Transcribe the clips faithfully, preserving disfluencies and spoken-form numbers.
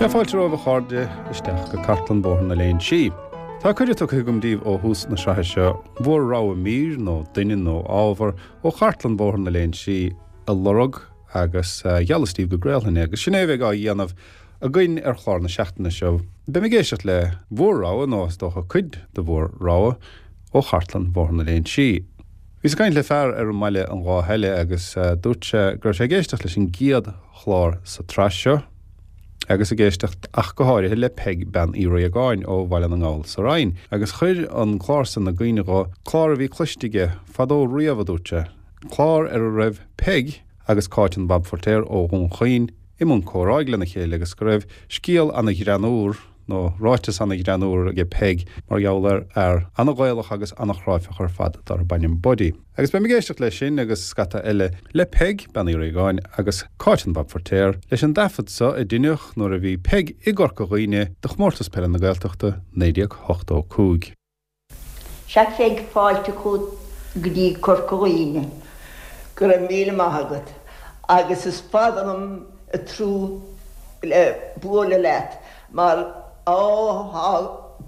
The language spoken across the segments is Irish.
Sea, fáilte romhaibh a chairde isteach go Cartlann Bhóthar na Léinsí. Tá cuireadh tugtha agam daoibh ó thús na sraithe seo bhur rogha mír nó duine nó ábhar ó Chartlann Bhóthar na Léinsí a lorg agus gheallas daoibh go gcraolfainn é, agus sin é a bheidh á dhéanamh againn ar chlár na seachtaine seo. Beidh mé ag éisteacht le bhur rogha nó is dócha cuid de bhur rogha ó Chartlann Bhóthar na Léinsí. Bhíos ag caint le fear ar an mbaile an lá eile agus dúirt sé go raibh sé ag éisteacht leis an gcéad chlár sa tsraith seo agus ag éisteacht ach go háirithe le Peig Bean Uí Riagáin ó Bhaile na nGall sa Rinn, agus chuir an clár san i gcuimhne dho clár a bhí cloiste aige fadó riamh a dúirt sé, clár ar a raibh Peig agus Cáit an Bhab Feirtéar ó Dhún Chaoin i mbun comhráidh lena chéile agus go raibh scéal ana-ghreannúr nó ráiteas ana-ghreannúr aige Peig mar gheall ar fhear ana-Ghaelach agus ana-chráifeach ar fad darb ainm Buddy. Agus beidh mé ag éisteacht leis sin agus scata eile le Peig, Bean Uí Riagáin agus Cáit an Bhab Feirtéar leis an dtaifead so a deineadh nuair a bhí Peig i gCorca Dhuibhne do chomórtas peile na Gaeltachta naoi déag ochtó cúig. Sea Pheig, fáilte chugat go dtí Corca Dhuibhne. Go raibh míle maith agat agus is fada liom ag tnúth le bualadh leat mar á tá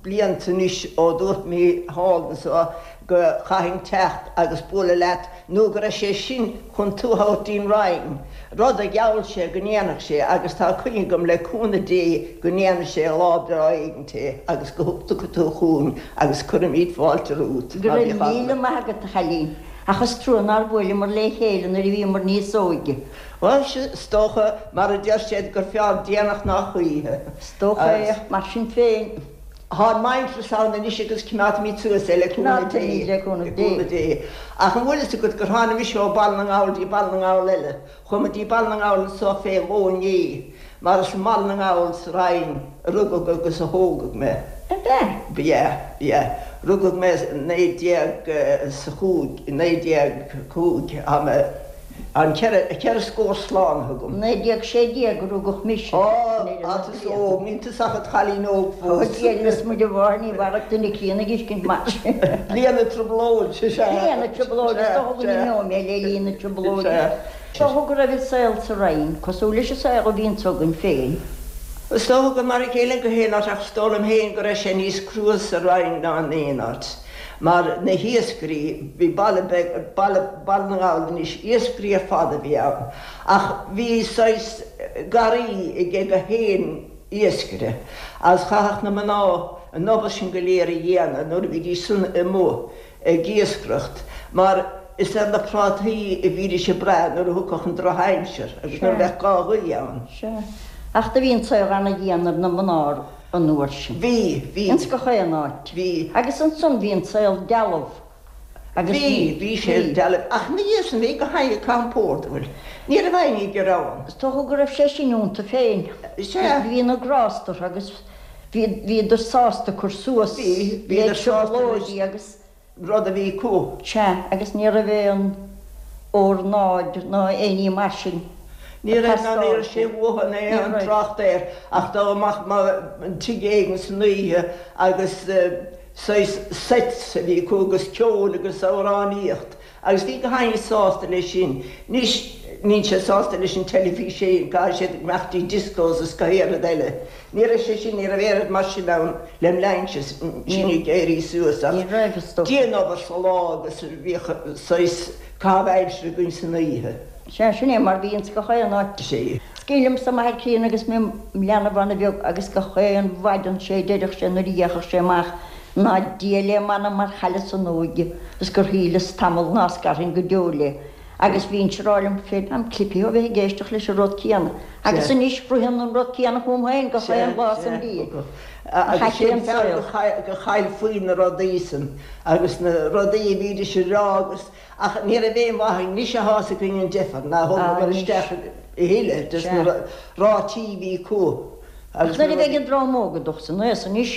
blianta anois ó dúirt mé thall anso go chaithfinn teacht agus bualadh leat nó go raibh sé sin chun tú a thabhairt dtí'n Rinn, rud a gheall sé go ndéanfadh sé agus tá coinne agam le cúnamh Dé go ndéanfaidh sé lá breá éigint é agus go dtiocfaidh tú chugainn agus cuirfimid fáilte romhat Go ná raibh bíodh míle eagla. maith agat a chailín, ach is trua nár bhuaileamar le chéile nuair a bhíomar níos óige. Bhuel, is dócha, mar a deir siad, gur fearr déanach ná choíche. Is dócha é, ach mar sin féin. Tá an muintearas ann anois agus coimeádfaimid suas é le cúnamh Dé. Coimeádfaimid le cúnamh Le Dé. cúnamh Dé. Ach an bhfuil fhios agat gur tháinig mise ó Baile na nGall dtí Baile na nGall eile? Chuaigh mé dtí Baile na nGall anso fé dhó inné, mar is i mBaile na nGall sa Rinn a rugadh agus a thógadh mé. Ab ea? B'ea, b'ea. Rugadh mé naoi déag is a chúig, naoi déag cúig, tá mé, an ceithre, ceithre scór slánaithe agam. Naoi déag sé déag a rugadh mise. Á, tá tusa óg, níl tusa ach id chailín óg Ó, fós. Dia lios muid a mháthair, ní mhairfeadh duine críonna ag tuiscint mar sin. Bliain na trioblóide, sea. Bliain na trioblóide, is dócha go n-imeoidh mé le linn na trioblóide. Sea. Is dócha go raibh an saol sa Rinn cosúil leis an saol a bhíonns againn féin. Is dócha gur mar a chéile gach aon áit ach is dóigh liom féin go raibh sé níos crua sa Rinn ná in aon áit mar na hiascairí, bhí baile beag, baile, Baile na nGall anois, iascairí ar fad a bhí ann ach bhí saghas garraí ag gach aon iascaire agus chaithfeadh na mná an obair sin go léir a dhéanamh nuair a bhídís san amuigh ag iascaireacht mar is ar na prátaí a bhídís ag brath nuair a thiocfadh an drochaimsir agus nuair a Sea. bheadh gá ghaoithe ann. Sea. Ach do bhí an saol ana-dhian ar na mná an uair sin. Bhí, bhí. Ins gach aon áit. Bhí. Agus ansan bhí an saol dealbh agus Bhí, bhí, bhí sé bhí. dealbh. Ach ina dhiaidh sin bhí gach éinne ag caitheamh pórdail. Ní raibh éinne ag gearán. Is dócha go raibh sé sin iontu féin. Sea. Bhí na grásta orthu agus bhí, bhíodar sásta cur suas Bhí, le bhíodar sásta leis. trioblóidí agus. rud a bhí acu. Sea, agus ní raibh aon ornáid ná aon ní mar sin Ní ag raibh ná ní teastáil. raibh sé uathu ná Ní aon raibh. trácht air ach dá mbeadh tigh éigin san oíche agus saghas sets a bhí acu agus ceol agus amhránaíocht agus bhí gach éinne sásta leis sin. Anois níl siad sásta leis an teilifís féin, caithfidh siad imeacht dtí discos is gach aon rud eile. Ní raibh sé sin, ní raibh aon rud mar sin ann lem linnse, sinn ag éirí suas ach Ní raibh, is dócha. dianobair sa lá agus bhíodh saghas caitheamh aimsire againn san oíche. Sea, sin é mar bhí ins gach aon áit. Sea. Is cuimhin liomsa m'athair críonna agus mé im leanbh ana-bheag agus gach aon mhaidin sé deireadh sé nuair a d'fhéachadh sé amach ná Dia le m'anam mar chailleas an óige is gur shíleas tamall ná scarfainn go deo léi. Agus bhínnse ag rá liom féin, táim clipithe ó bheith ag éisteacht leis an rud céanna. Agus Sea. anois ritheann an rud céanna chugam féin gach Sea, aon lá san sea. bhliain. Ach Agus ait é sin an fear saol. go chaill faoi na rudaí san agus na rudaí a bhídís a rá agus ach ní raibh aon mhaith anois atá fhios againn an deifir ná Ah, thógamar anois. isteach a thuilleadh des na Sea. ráití a bhí acu Ach agus na nuair a bheidh rudaí. an dream óg ag dul san aos anois,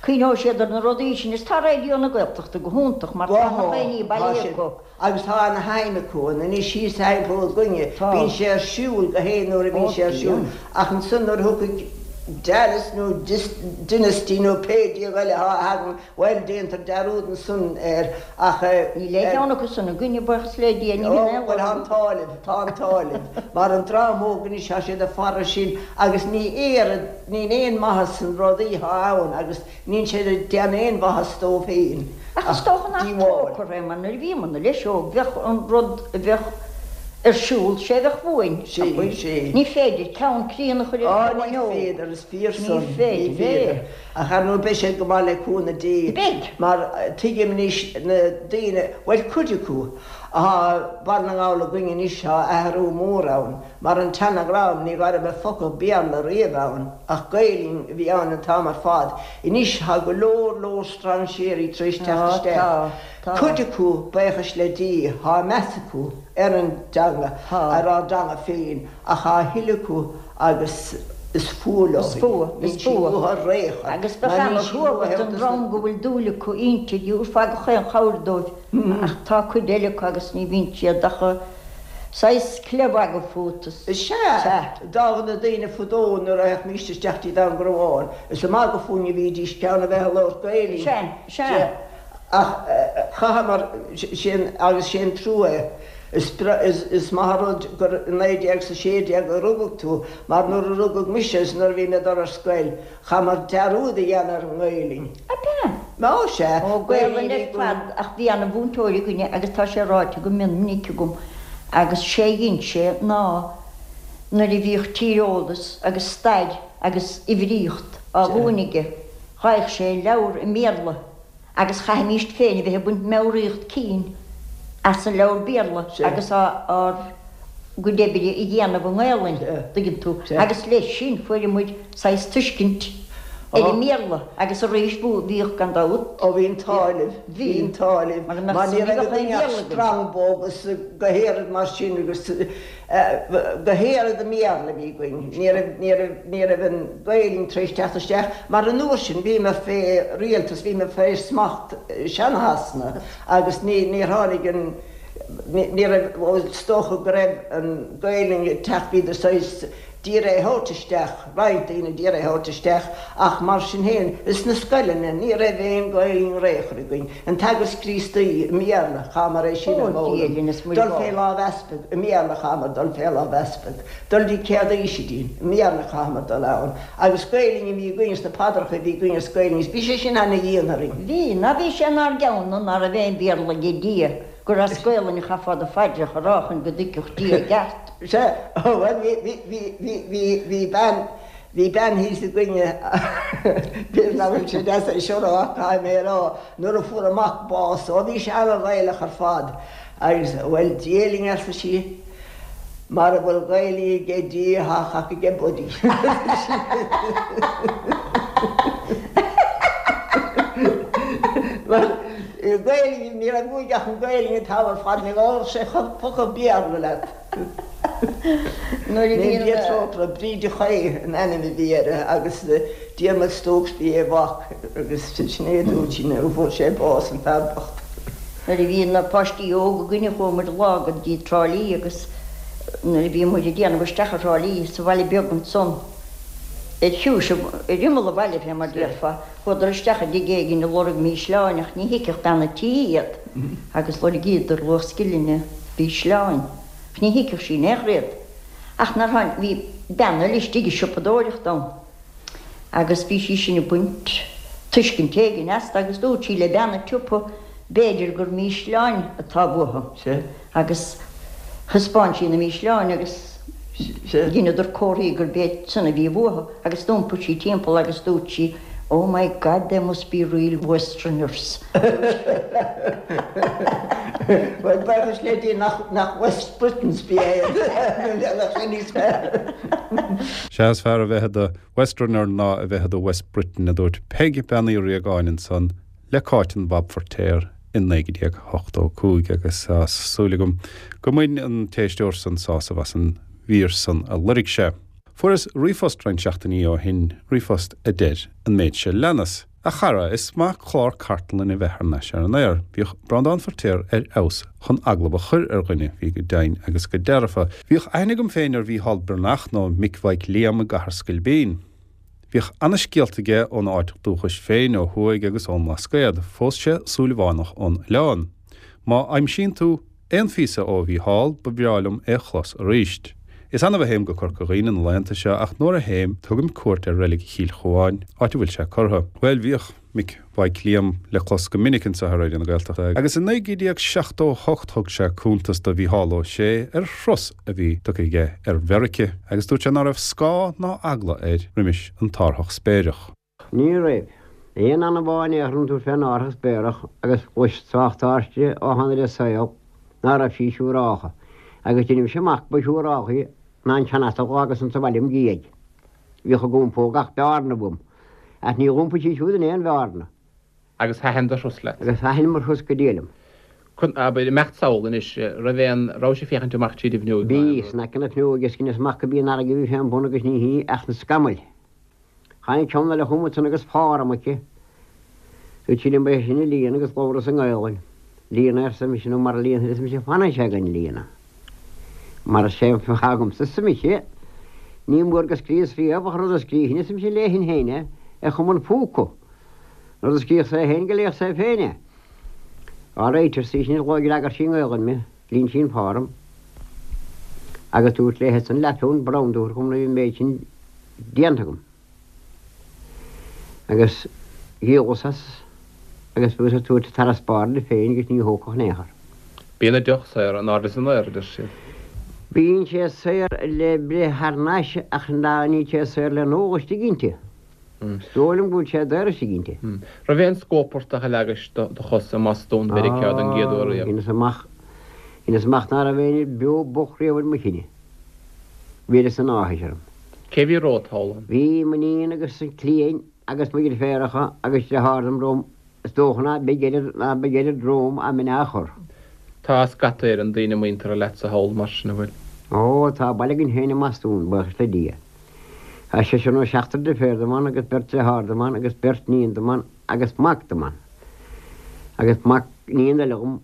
cuimhneoidh siad ar na rudaí sin is tá Raidió na Gaeltachta go hiontach mar tá na Tá, daoine tá bailithe siad acu. agus tá ana-shuim acu ann anois thíos thimpeall againne. Tá. Bíonn sé ar siúl gach aon uair a bhíonn Ó sé ar siúl bíonn. ach ansan nuair a thiocfaidh Dallas nó Dynasty nó pé diabhal atá againn, bhuel, déantar dearúd ansan air ach. Níl aon cheann acu san againne, buíochas le Dia, ní bhíonn aon Ó, bhuel, tá an t-ádh libh, tá an t-ádh libh, mar an dream óg anois, tá siad ag faire sin agus ní oiread, níl aon mhaitheas sna rudaí atá ann agus níl siad ag déanamh aon mhaitheas dóibh féin Ach is ach dócha nach díobháil. trócaire é mar nuair a bhíomarna leis óg bheadh an rud a bheadh ar siúl, sé a bheadh uainn, Sea, abair. sea. Ní féidir ceann críonna a chur ar Á, ghamhain ní óg. féidir, is fíor Ní san, ní féidir é. féidir. Ach ar ndóigh beidh siad go maith le cúnamh Dé. Beidh. Mar tuigim anois na daoine, bhuel cuid acu, athá Baile na nGall againn anois, tá athrú mór ann. Mar an tseana-dhream ní raibh focal Béarla riamh ann, ach Gaelainn a bhí ann an t-am ar fad. Anois tá go leor leor strainséirí tar éis teacht Tá, isteach. tá, tá. Cuid acu, buíochas le Dia, tá meas acu ar an dteanga, Tá. ar ár dteanga féin, ach tá a thuilleadh acu agus is fuath leo Is í. fuath, Níl is siad fuath. uathu ar aon chor, Agus bheadh mar níl siad ana-thrua uathu don dos na. dream go bhfuil dúil acu inti, thabharfá gach aon chabhair dóibh, ach tá cuid eile acu agus ní bhíonn siad ach saghas cleamh fút is. Is ea, Sea. d'fhág na daoine fadó nuair a théimis isteach dtí Dún Garbhán, is ag magadh fúinn a bhídís ceann a bheith ag labhairt Gaelainn. Sea, sea. Sea. Ach chaitheamar sin agus sé an trua é. Is is maith an rud gur i naoi déag 's a sé déag a rugadh tú mar nuair a rugadh mise is nuair a bhí mé ag dul ar scoil, chaitheamar dearúd a dhéanamh ar an nGaelainn. Ab ea? Ó sea, Ó, Gaelainn Gaelainn a bhí ar againn. fad ach bhí ana mhúinteoir againne agus tá sé ráite go mion minic agam agus sé a dhein sé ná nuair a bhíodh tíreolas agus stair agus uimhríocht á mhúineadh aige, gheibheadh sé leabhar i mBéarla agus chaithfimíst féin a bheith ag baint meabhraíocht cinn as an leabhar Béarla agus ár gcuid oibre a dhéanamh i nGaelainn, tuigeann tú, agus leis sin fuair muid saghas tuiscint ar an mBéarla agus arís bhíodh gan dabht. Ó bhí an t-ádh libh, bhí an t-ádh libh, Mar mar ní ní raibh bheadh aon againn ach Bhéarla againn. Strongbow agus go héiread mar sin agus go héiread i mBéarla a bhí againn, ní raibh, ní raibh, ní raibh an Ghaelainn tar éis teacht isteach mar an uair sin bhíomar fé rialtas, bhíomar fé smacht sean-Shasana agus ní, níor tháinig an, ní, ní raibh, bhuel is dócha go raibh an Ghaelainn ag teacht, bhíodar saghas d'iarraidh é a thabhairt isteach, roinnt daoine d'iarraidh é a thabhairt isteach ach mar sin féin, sna scoileanna ní raibh aon Ghaelainn ar aon chor againn. An Teagasc Críostaí i mBéarla, chaitheamar é sin a Ó, Dia fhoghlaim. linn is muid Dul fé bá. lámh easpaig, i mBéarla chaitheamar dul fé lámh easpaig. Dul dtí Céad Aoisidín, i mBéarla chaitheamar dul ann. Agus Gaelainn a bhí againn sna paidreacha a bhí againn is Gaelainn, bhí sé sin ana-dhian orainn. Bhí, ná bhí sé inár gceann ná raibh aon Bhéarla ag Dia, gur as Gaelainn a chaithfeá do phaidreacha a rá chun go dtuigfeadh Dia i gceart. Sea, bhuel bhí, bhí, bhí, bhí, bhí, bhí bean, bhí bean thíos againne, b'fhéidir nach bhfuil sé deas é seo a rá, caithfidh mé a rá, nuair a fuair a mac bás, ó bhí sé ana-Ghaelach ar fad, agus bhuel Dia linn arsa sí, mara bhfuil Gaelainn ag Dia tá cac aige Buddy. Bhuel, Gaelainn, ní raibh uaidh ach an Ghaelainn an t-am ar fad, ní labhródh sé focal Béarla leat. Nuair a Ní bhíonn. Dia trócaire, Bríd Uí Chaoimh an ainm a bhí uirthi agus Diarmuid Stokes bhí a mhac agus sin é a dúirt sí nuair a fuair sé bás an fear bocht. Nuair a bhí na páistí óga againne chuaigh muid lá go dtí Trá Lí agus nuair a bhí muid ag déanamh isteach ar Thrá Lí sa bhaile beag ansan ar chiúis ar imeall an bhaile fé mar déarfá, chuadar isteach i dtigh éigin ag lorg mísleáin ach ní thuigfeadh bean an tí iad agus lorgaíodar luach scillinge mhísleáin ach ní thuigfeadh sí in aon chor iad. Ach nár tháinig, bhí bean eile istigh ag siopadóireacht ann agus bhí sí sin ag baint tuiscint éigin astu agus dúirt sí le bean an tsiopa b'fhéidir gur mísleáin atá uathu agus thaispeáin sí na mísleáin agus dheineadar comharthaí gurb iad san a bhí uathu agus d'iompaigh sí timpeall agus dúirt sí Oh my God, they must be real Westerners. Bhuel, buíochas le Dia nach, nach West Britons ba ea iad, bheadh sé níos fearr. Sea, is fearr a bheith i do Westerner ná a bheith i do West Briton, a dúirt Peig Bean Uí Riagáin ansan le Cáit an Bhab Feirtéar in naoi déag ochtó cúig agus tá súil agam go mbain an t-éisteoir san sásamh as an mhír san a loirg sé. Fuaireas ríomhphost roinnt seachtainí ó shin, ríomhphost a deir an méid seo leanas. A chara, is maith clár cartlainne a bheith thar n-ais ar an aer. Bhíodh Breandán Feirtéar ar fheabhas chun agallamh a chur ar dhuine, bhí go deimhin agus go dearfa. Bhíodh aithne agam féin ar Mhícheál Breathnach nó Mick Mhaidhc Liam i gCathair Scoilbín. Bhíodh ana-scéalta aige óna áit dúchais féin ó thuaidh agus ón mBlascaod, phós sé Súilleabhánach ón oileán. Má aimsíonn tú aon phíosa ó Mhícheál, ba bhreá liom é a chlos arís. Is annamh a théim go Corca Dhuibhne na laethanta seo ach nuair a théim, tugaim cuairt ar reilig Chill Chuáin, áit a bhfuil sé curtha. Bhuel, bhíodh Mick Mhaidhc Liam le clos go minic anseo ar Raidió na Gaeltachta agus i naoi déag seachtó a hocht thug sé cuntas do Mhícheál Ó Sé ar thuras a bhí tugtha aige ar Mheirice agus dúirt sé ná raibh scáth ná eagla air roimis an t-árthach spéireach. Ní raibh. Aon anamh amháin aon tú fén árthach spéireach agus chlois tráchtaiste ó tháinig le saol ná raibh sí siúráilte agus dheinim-se amach ba siúráilte ná an seanasal agus an sa bhaile im dhiaidh. Bhíodh ag iompó gach bearna uaim. Ach ní iompaigh sí siúd in aon bhearna. Agus thaitin do thuras leat? Agus thaitin mo thuras go diail liom. Chun, abair, imeacht sall anois, raibh aon, raibh sé féachaint amach tríd an bhfuinneog? Bhí, san aice na fuinneoige is dheineas amach go b'í an fharraige a bhí fén bun agus ní hí ach na scamaill. Tháinig ceann eile chugam ansan agus farm aici. Dúirt sí liom ba é sin a líonadh agus labhras i nGaelainn. Líon é arsa mise nó mara líonfaidh arsa mise fanfaidh sé gan líonadh. Mar is é an fáth agamsa arsa mise, ní mór go scríos riamh ach rud a scrífinn arsa mise léifinn féin é ar chuma an phúca. Rud a scríobh sé féin go léifeadh sé féin é. All right, arsa í sin, d'fhreagair sí i nGaelainn mé, líon sí an farm. Agus dúirt léithe san leathphunt brown dúirt chum na bhí an méid sin déanta agam. Agus dhíolas as agus bhíos ag tabhairt farasbarr di féin agus ní thógfadh in aon chor. Bíonn an deoch saor in airde is in aer, a deir siad. Bíonn sé saor le breith thar n-ais ach ná níl sé saor le n-ól istigh inti. Is dóigh liom go bhfuil sé daor istigh inti. Raibh aon scóportach a leagais do chos i mBostún Mheiriceá don gcéad uair riamh? Dheineas amach, dheineas amach ná raibh éinne beo bocht riamh ar mo chine. Bhí oiread san áthais orm. Cé bhí romhat thall ann? Bhí m'iníon agus a cliain agus mo dheirféaracha agus deartháir dom romham, is dócha ná beidh oiread, ná beidh oiread romham a'm in aon chor. Tá scata Éireann daoine muinteartha leatsa thall mar sin, an bhfuil? Ó, tá baile againn féin i mBostún, buíochas le Dia. Tá seisear nó seachtar deirféar dom ann agus beirt deartháir dom ann agus beirt níon dom ann agus mac dom ann. Agus mac níon eile dhom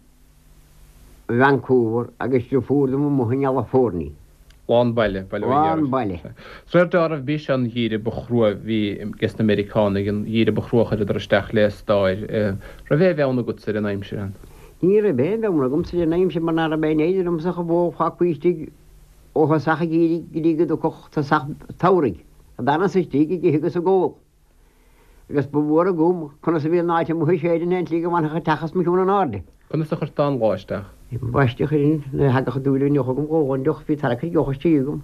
i Vancouver agus deirfiúr dom amuigh i gCalifornia. Lán baile, baile mhic Lán Gearailt. baile. Sréar deáramh b'í seo an gheimhreadh ba chrua a bhí ges na Meiriceánaigh, an gheimhreadh ba chrua a chuireadar isteach le stair. Raibh aon bheann agatsa ar an aimsir ann? Ní raibh aon bheann agamsa ar an aimsir mar ná raibh aon fhéidir liomsa ach an bhó a fágáil istigh ó thosach an gheimhridh go dtí go dtiocfadh tosach an tsamhraidh. D'fhanas istigh ag ithe agus ag ól. Agus ba mhór agam conas a bhí an áit amuigh ag séideadh in aon tslí go bhfanfadh an teach os mo chionn in airde. Conas a chuirteá an lá isteach? Ambaiste chuirfinn, nuair a thagadh an dúil an deoch agam dh'ólfainn deoch, bhí tarrac ar dheoch istigh agam.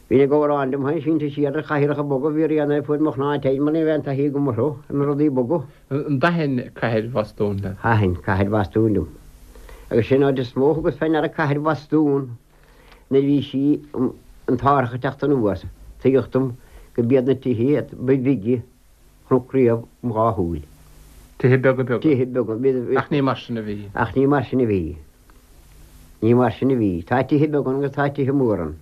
Bhínn ag amhrán liom féin sínte siar ar chathaoireacha boga, bhí rian air fuair mo chnámh teinn mar ní raibh aon taithí agam orthu, ar na rudaí boga. An dtaithin cathair Bhostún leat? Thaitin cathair Bhostún liom. Agus sin an áit is mó a thugas fé ndeara cathair Bhostún nuair a bhí sí, an t-árthach ag teacht anuas, tuigeadh dom go b'iad na tithe ba bhige chonac riamh im dhá shúil. Tithe beaga beaga. Tithe beaga. Bhí, Ach ní mar sin a bhí. Ach ní mar sin a bhí. Ní mar sin a bhí. Tá tithe beaga ann agus tá tithe móra ann.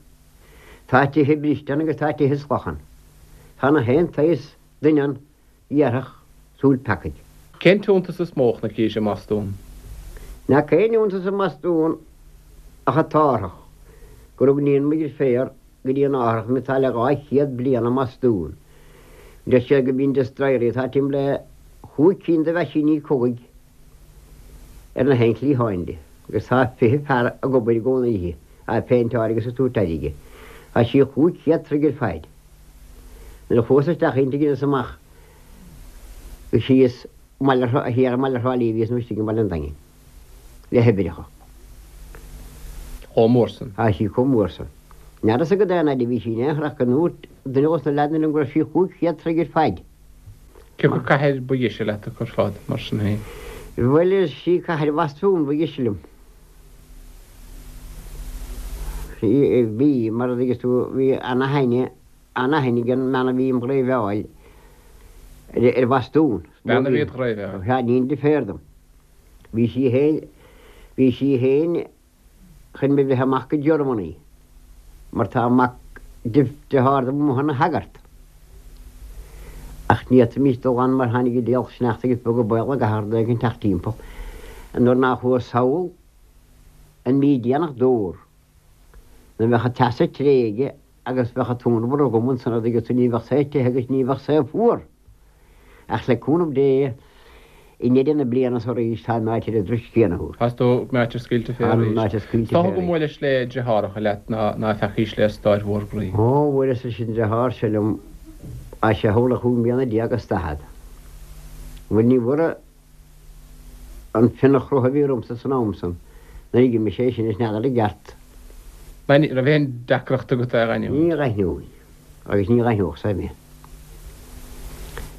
Tá tithe briste ann agus tá tithe salach ann. Tá na haon tsaghas duine ann a dhéarfadh súil peacaigh. Cén t-iontas is mó a chonaicis i mBostún? Nach aon iontas i mBostún ach an t-árthach, gur thug iníon mo dheirféar go dtí an árthach mé atá le dhá chéad bliain i mBostún. Deir siad go mbíonn destroyerí atá timpeall le chúig cinn de mheaisíní cogaidh ar na haon chliatháin di, agus tá fiche fear ag obair i gcónaí uirthi, á péinteáil agus ag tabhairt aire di. Tá sí chúig chéad troigh ar faid. Nuair a chuas isteach inti dheineas amach go síos i mbaile thiar i mbaile Thrá Lí a bhíos nó istigh i mbaile an Daingin le hoibreacha. Chomh mór san. Tá sí chomh mór san. N'fheadar sa go aon fhaid a bhí sí in aon chor ach go ndúirt duine dos na leaideanna liom go raibh sí chúig chéad troigh ar faid. Cé acu cathair ba dheise leat acu ar fad, mar sin féin? Bhuel, is í cathair Bhostún ba dheise liom. Bhí, mar a dtuigeas tú, bhí ana-aithne, ana-aithne ag an mbean a bhí im dhreiveáil ar Bhostún. Bean a bhí id dhreiveáil? Sea, iníon deirféar dom. Bhí sí féin, bhí sí féin chun mé bhreith amach go Germany, mar tá mac dearthár dom amuigh ina shagart. Ach ní fhéadfaimis dul ann mar tháinig an diabhal sneachta agus beag an baol ag athair dó ag teacht timpeall. Nuair nár chuas sall an mí déanach d'fhómhar, nuair a bheadh an teas ag tréige agus bheadh an t-ionramar agam ansan agus ní bheadh sé te agus ní bheadh sé fuar. Ach le cúnamh Dé, i ndeireadh na bliana so arís tá an áit ar an dturas céanna thuas. Tá tú meáite scaoilte fé Tá arís. meáite scaoilte Is dócha fé go arís. mbuaileis le deartháireacha leat ná ná feacaís le stáir mhór groí. Ó, bhuaileas leis an deartháir seo liom, tá sé thall le chúig mbliana déag is daichead. Bhuel ní bhfuair an fionnadh a bhí ormsa san am san, nuair a d'imigh sé sin is n'fheadar i gceart. Ní raibh aon deacracht agat é a aithniú? Ní aithneoinn, agus ní aithneodh sé mé.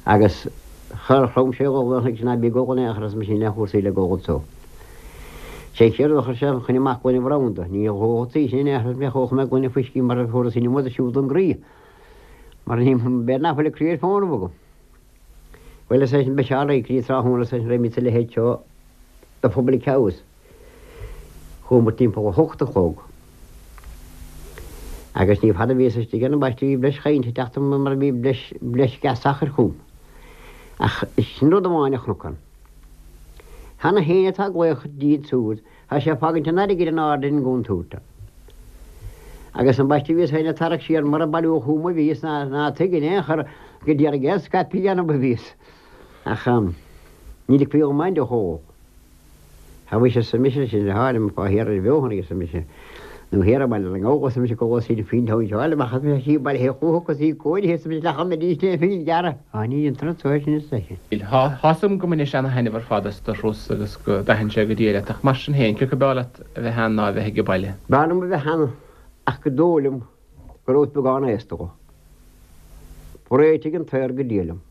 Agus char chrom sé dhul agus ná bí ag gol in aon chor arsa mise níl aon chúrsaí le gol anso. Sé chéard a chuir sé chun amach gloine bhrandaí, ní dhóchtaí sin in aon chor mé chomh mé gloine fuiscí mar a fuaras in iomad siúd an groí. Mar ní b'fhéidir nach bhfuil a croí ar fónamh agam. Bhuel is é sin ba shearr é croí tráthnóna is é sin raibh sa leithéid seo de public house. Chuamar timpeall a hocht a chlog. Agus ní fada bhíos istigh ann ambaiste bhí breis chainte ag teacht orm mar a bhí breis breis gas sachair chugam. Ach sin rud amháin a chonac ann. Cheana féin atá glaoch díot súd, tá sé ag fágaint an airgid in airde ar an gcuntar. Agus ambaiste bhíos féin ag tarrac siar mar a bailiú chugam a bhíos ná ná tuig in aon chor go d'iarraidh é scaipthe a dhéanamh a bhíos. Ach ní ligfí dhom aon deoch a ól. Tá mise arsa mise sin le háirim fá thiar ar bheochan arsa mise. Nó thiar i mBaile na nGall arsa mise go bhfuil siad faoin tóin seo amach arsa mise sí baile chucu sí cóirithe arsa mise le chun arís é féin gearradh. Á ní an turas seo sin is eisean. Tá a fhios agam go mbaineann sé ana-thaitneamh ar fad as do thuras agus go dtaitníonn sé go diail leat ach mar sin féin cé acu b'fhearr leat a bheith ann ná a bheith ag baile. B'fhearr liom a bheith ann ach go dóigh liom go rabhas beagán aosta dhó. Réitigh an t-aer go diail liom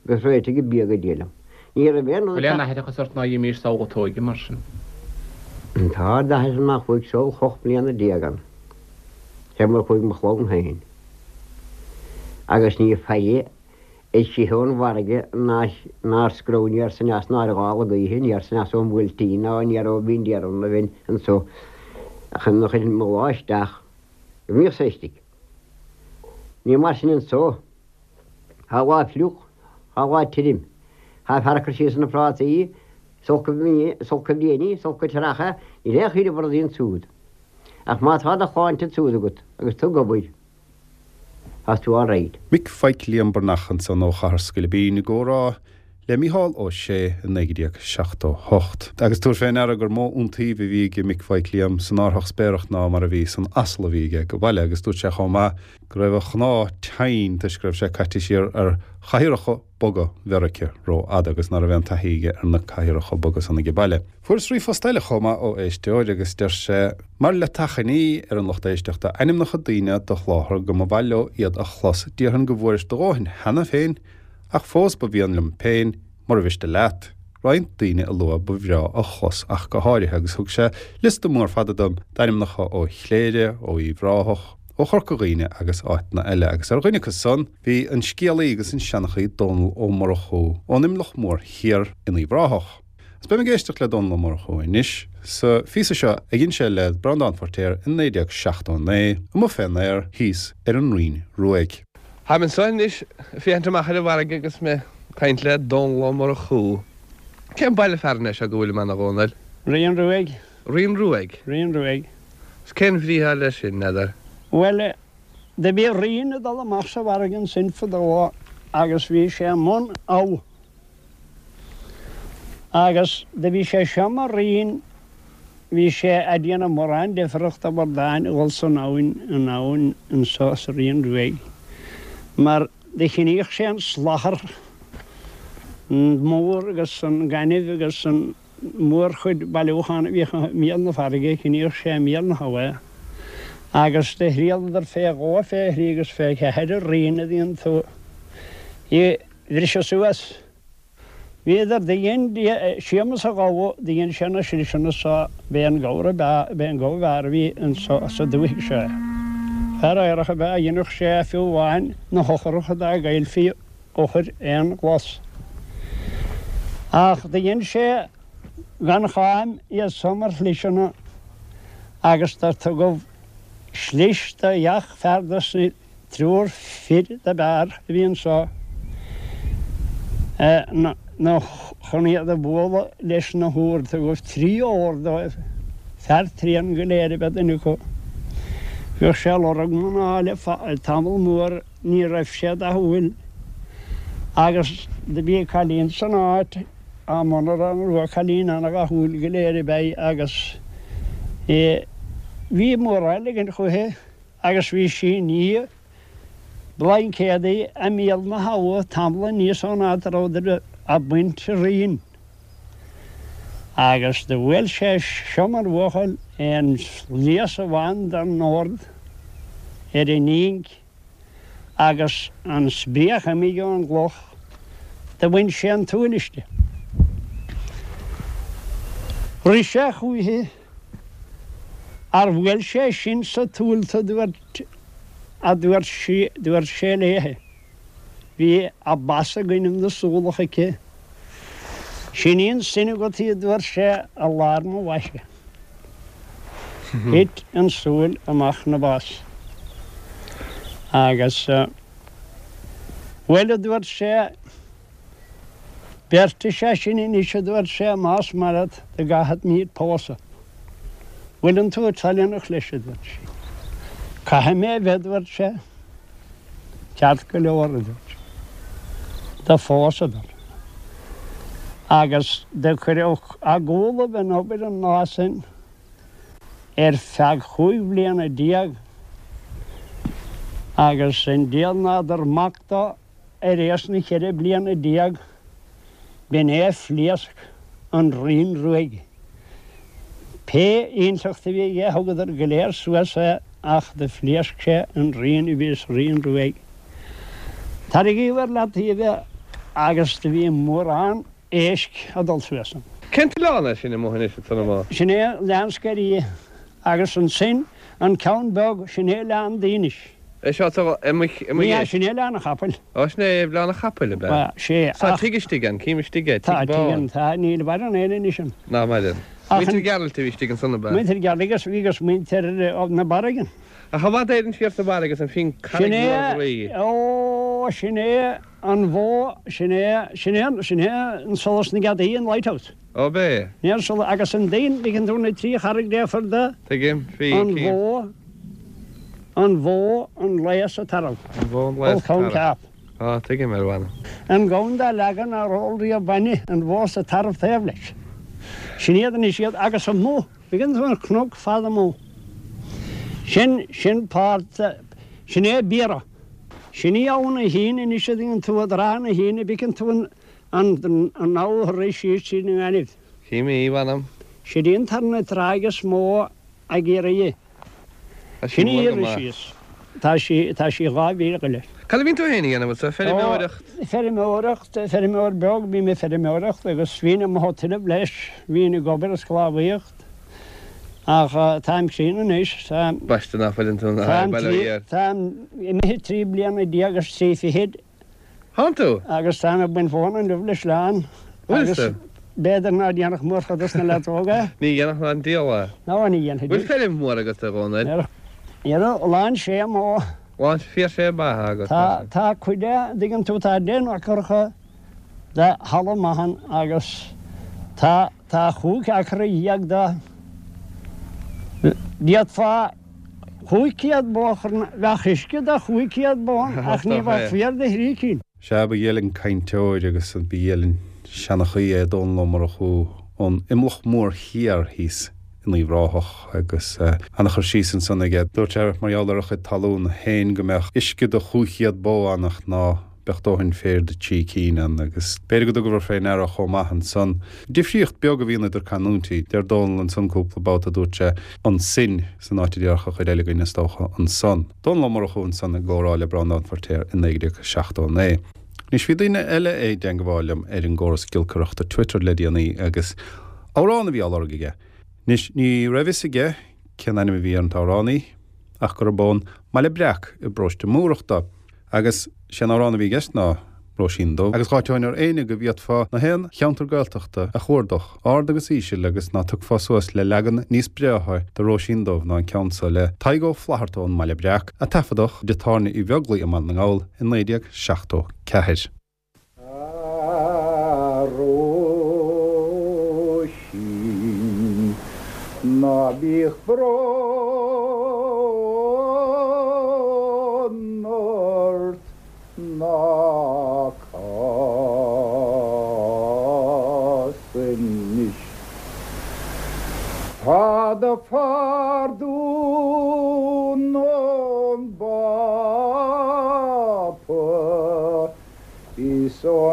agus réitigh an bia go diail liom. Ní raibh aon rud Bhfuil aon aithreachas ort ná dhíomís samhlatóige mar sin? Tá d'aithris amach chuaigh seo ocht mbliana déag ann. Sé mar chuaigh mo chlann féin. Agus ní faille istigh ón bhfarraige nár scró aniar is aneas ná ar ghála gaoithe aniar is aneas ón bhuailtín ná aniar ó Bhinn Déarún a bhinn anso chun mo lá isteach go mbíodh sé istigh. Ní mar sin anso. Tá lá fliuch, tá lá tirim. Tá fear ag cur síos ar na prátaí, sulca blianaí, sulca treacha, níl aon chuid de rudaí ansúd. Ach má tá do shláinte ansúd agat agus tú ag obair, tá tú all right. Mick Phaidhc Liam Breathnach ansan ó Chathair Scoilbín i gcomhrá le Mícheál Ó Sé i naoi déag seachtó hocht. Agus tabhair fé ndeara gur mó iontaoibh a bhí ag Mick Phaidhc Liam san árthach spéireach ná mar a bhí san asal a bhí aige go baile agus dúirt sé chomh maith go raibh a chnámha tinn toisc go raibh sé caite siar ar chathaoireacha boga Mheiriceá rófhada agus ná raibh aon taithí aige ar na cathaoireacha boga san age baile. Fuaireas ríomhphost eile chomh maith ó éisteoir agus deir sé mar le t'achainí ar an lucht éisteachta ainmneacha daoine do sholáthar go mba mhaith leo iad a chlos déarfainn go bhfuairis do dhóthain cheana féin ach fós ba mhian liom féin mura mhiste leat. Roinnt daoine a lua ba bhreá a chlos ach go háirithe agus thug sé liosta mór fada dom d'ainmneacha ó Chléire, ó Uíbh Ráthach, ó Chorca Dhuibhne agus áiteanna eile agus ar dhuine acu san bhí an scéalaí agus an seanchaí Dónal Ó Murchú ón Imleach Mór Thiar in Uíbh Ráthach. Is beidh mé ag éisteacht le Dónal Ó Murchú anois sa phíosa seo a dhein sé le Breandán Feirtéar in naoi déag seachtó naoi amuigh fén aer thíos ar an Rinn Ruaidh. Táim anseo anois ag féachaint amach ar an bhfarraige agus mé ag caint le Dónal Ó Murchú. Cén baile fearainn é seo go bhfuilim ann a Dhónaill? Rinn Ruaidh. Rinn Ruaidh? Rinn Ruaidh. Is cén bhrí atá leis sin, n'fheadar? Bhuel, do bhí rinn ag dul amach sa bhfarraige ansin fadó agus bhí sé i mbun abha. Agus do bhí sé seo mar rinn, bhí sé a' déanamh mórán deifreachta do bhordáin a dhul san abhainn, an abhainn anso sa Rinn Ruaidh. Mar do chiníodh sé an slachar mór agus an gaineamh agus an mhórchuid bailiúchán a bhíodh i mbéal na farraige, chiníodh sé i mbéal na habha agus do thriaileadar fé dhó, fé thrí agus fé cheathair an rinn a bhíonn tú í bhriseadh suas. Bhíodar do dhein Séamus a' Ghabha, do dhein sé na sliseanna so, b'é an gabhar ab ea, b'é an gabha ab fhearr a bhí anso sa dúthaigh seo. Fear aerach ab ea a dheineadh sé fiú amháin na heochracha dá gcaillfí eochair aon ghlas. Ach do dhein sé gan cháim iad so mar shliseanna agus do tugadh slis do gach fear dos na triúr fir do b'fhearr a bhí anso nó chun iad a bhualadh leis na húir. Tugadh trí ór dóibh, fear tréan go léir ab ea duine acu. Bhíodh sé ag lorg mná le tamall mór, ní raibh sé dathúil. Agus do bhí cailín san áit, á monarán rua, cailín ana-dhathúil go léir ab ea í agus bhí mórán ligint chúithi agus bhí sí i ndiaidh blaincéadaí i mbéal na habha tamall aníos ón áit a rabhadar ag baint riain. Agus do bhuail sé seo mar bhuachaill aon slios amháin den ord ar an inc agus an spréach imigh ón gcloch, do bhain sé an tsúil aisti. Rith sé chúichi, ar bhuail sé sin sa tsúil tú dúirt, a dúirt sí, dúirt sé léi. Bhí a bas ag goineadh na súlach aici. Sin í an sin agat í, a dúirt sé, i lár mo bhaise. Thit an tsúil amach 'na bas. Agus, bhuel, a dúirt sé, beirt is ea sinn anois, a dúirt sé, más maith leat, do gcaithfimid pósadh. Bhfuileann tú toileanach leis, a dúirt sí. Caithfidh mé a bheith, a dúirt sé. Ceart go leor, a dúirt sí. Do phósadar. Agus do cuireadh a gcúlaibh in obair an lá sin ar feadh chúig bhliana déag agus i ndiaidh n'fheadar mac dó ar éis na cheithre bliana déag b'in é a phléasc an rian ruaidh. Pé intleacht a bhí aige thugadar go léir suas é ach do phléasc sé an rian a bhí sa rian ruaidh. Tarraingíodh ar leataobh é agus do bhí mórán éisc ag dul suas ann. Cén t-oileán é sin amuigh anois ansan amuigh? Sin é Oileán Sceirthe agus ansin an ceann beag, sin é Oileán Daoinis. É seo atá i mo Ní hea, sin é Oileán an Chapaill. Ó, sin é Oileán an Chapaill, ab ea? Sea, Tá ach. tigh istigh ann, cím istigh é, Tá tigh tigh bán. ann, tá, níl maireann aon anois ann. Ná maireann. Ach Muintir an. Ghearailt a bhí istigh ansan, ab ea? Muintir Ghearailt agus bhí agus muintir na Barraige. Ach i bhfad Éireann siar sa bhfarraige agus an phinn Sin carraig é, mhór bhrí. ó, sin é an bhó, sin é, sin é, sin é an solas na gceadaí, an lighthouse. Ó, b'é. Ní an solas, agus an daon, ligeann tú na trí charraig dheifir de. Tuigim, bhí, An cím. bhó, an bhó, an lao is an tarbh. An bhó, an lao is an Ó, tarbh. ceap. Á, tuigim, ar mh'anam. An gamhain dá leagan nár ól riamh bainne, an bhó is an tarbh taobh leis. Sin iad anois iad, agus amuigh, ligeann tú an cnoc fada amuigh. Sin, sin páirt, sin é Biorra. Sin í Abha na hAoine anois a dtuigeann tú, i dtrátha na hAoine, b'fheiceann tú an, an, an abha ag rith síos tríd an ngaineamh. Cím í, mh'anam. Sin í an tarna tráigh is mó ag iarraidh í. Tá sí Sin í mór a go rith maith. síos. Tá sí, tá sí dhá mhíle go leith. Cad a bhíonn tú féin a dhéanamh anso? Ó, Feirmeoireacht? feirmeoireacht, feirmeoir beag, bím ag feirmeoireacht agus bhínn amuigh ag tuilleamh leis, bhínn ag obair ag sclábhaíocht. Ach táim críonna anois, táim, Baiste ná fuileann tú ná táim bail ó trí, Dhia ort. táim imithe trí bliana déag agus trí fichid. Thánn tú? Agus táim ag baint mhóna inniu le sleán. Bhfuil Agus tú? b'fhéidir ná déanfadh mórchuid dos na leaids óga é. Ní dhéanfadh ná an diabhal é. Ná ní dhéanfaidís. Bhfuil feirm mhór agat, a Dhónaill? Dhera, lán sé mó. Lán fíor sé maith agat, Tá, mar sin. tá cuid de, an dtuigeann tú, tá deich n-acracha de thalamh maith ann agus tá, tá chúig acra dhéag de, d'fhéadfá chúig chéad bó a chur ann, bheadh uisce do chúig chéad bó ann ach ní bheadh féar do thrí cinn. Sea, ba dhiail an cainteoir agus ba dhiail an seanchaí é Dónall Ó Murchú ón Imleach Mór Thiar thíos in Uíbh Ráthach agus an-chur síos ansan aige. Dúirt sé mar gheall ar a chuid talún féin go mbeadh uisce do chúig chéad bó ann ach ná beadh dóthain féir do trí cinn ann agus b'fhéidir go dtugabhair fé ndeara chomh maith ansan difríocht beag a bhíonn idir canúintí. Deir Dónall ansan cúpla babhta dúirt sé ansin san áit a déarfadh an chuid eile againn is dócha ansan. Dónall Ó Murchú ansan i gcomhrá le Breandán Feirtéar i naoi déag seachtó a naoi. Anois bhí duine eile i dteangmháil liom ar an gcóras giolcaireachta Twitter le déanaí agus amhrán a bhí á lorg aige. Anois ní raibh fhios aige cén ainm a bhí ar an t-amhránaí ach gurb ón mBaile Breac i bparóiste Múrach dó. Agus sé an amhrán a bhí i gceist ná Róisín Dubh. Agus dh'áiteoinn ar éinne go bhféadfá na haon cheantar Gaeltachta a chuardach, ard agus íseal, agus ná tiocfá suas le leagan níos breátha de Róisín Dubh ná an ceann so le Tadhg Ó Flatharta ón mBaile Breac, a taifeadadh i dtigh tábhairne Uí Bheaglaoich i mBaile na nGall i naoi déag seachtó ceathair. A Róisín, ná bíodh brón.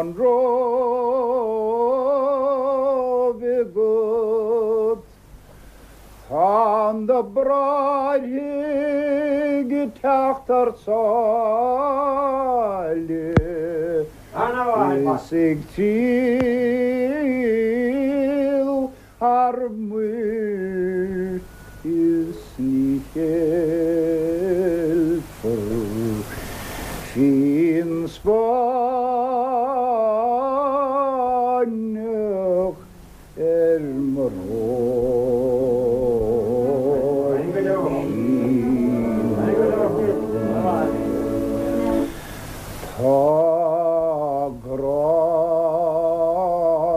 an Róimh agat. Tá na bráithre ag teacht thar sáile is ag triall thar muir is ní cheilfear fíon Spáinneach ar mo Róisín Dubh. Tá grá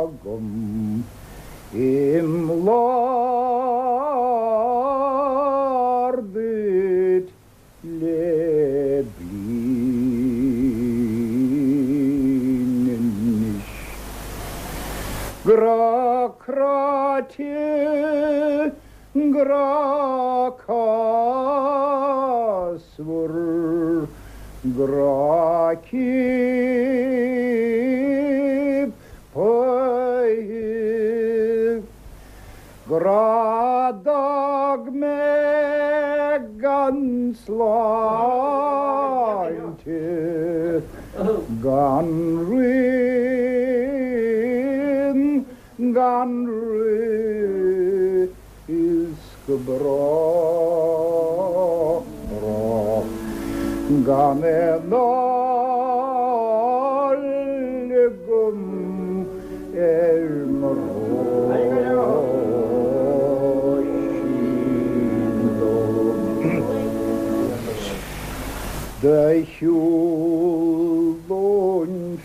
agam im lár duit le bliain anois. Grá cráite, grá cásmhar, grá ciapaithe, grá d'fhág mé gan sláinte, gan rian, gan rith is go brách, brách gan aon fháil agam ar mo Róisín Dubh. Do shiúlóinn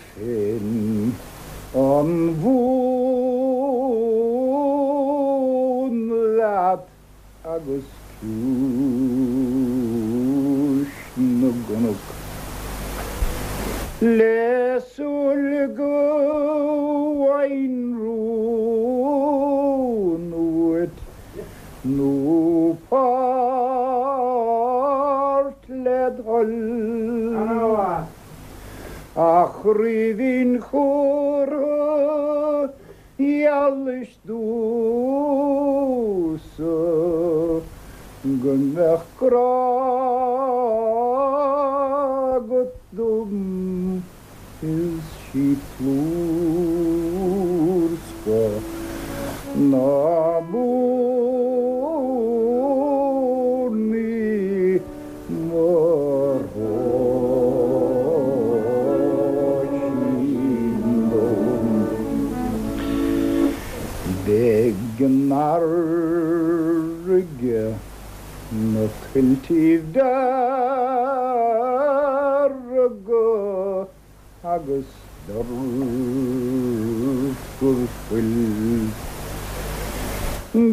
féin an Mhumhain leat agus ciumhais na gcnoc. Le súil go bhfaighinn rún uait nó páirt led thoil. A chraoibhín chumhra ghealais domhsa go mbeadh grá agat dom is sí plúr scoth na mBoirn í mo Róisín Dubh. Beidh an fharraige na tuiltíbh dearga agus dorchar fuil.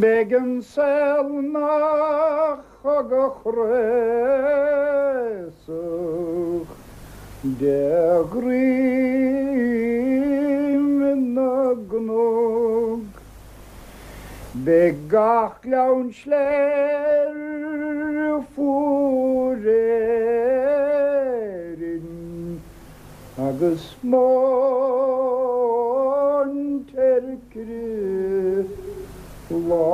Beidh an saol 'na chogadh craosach de dhroim na gcnoc. Beidh gach gleann sléibhe fuar Éirinn agus móin ar crith lá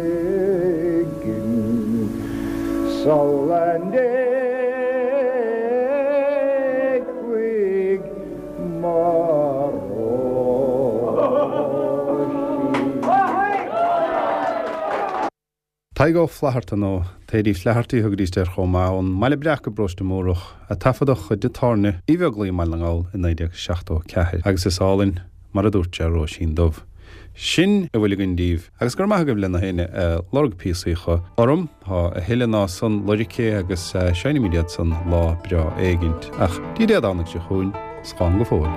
éigin sula n-éagfaidh mo Róisín. Tadhg Ó Flatharta nó Thady Flaherty a thugaidís air chomh maith, ón mBaile Breac i bparóiste Mórdhach, a taifeadadh de tábhairne Uí Bheaglaoich i mBaile na nGall i naoi déag seachtó a ceathair, agus is álainn mar a dúirt sé Róisín Dubh. Sin a bhfuil againn daoibh, agus go raibh maith agaibh le na héinne a lorg píosaí chucu orm, tá a thuilleadh ná san lorgtha agus seinnfimid iad san lá breá éigint, ach dtí Dé Domhnaigh seo chugainn, slán go fóill.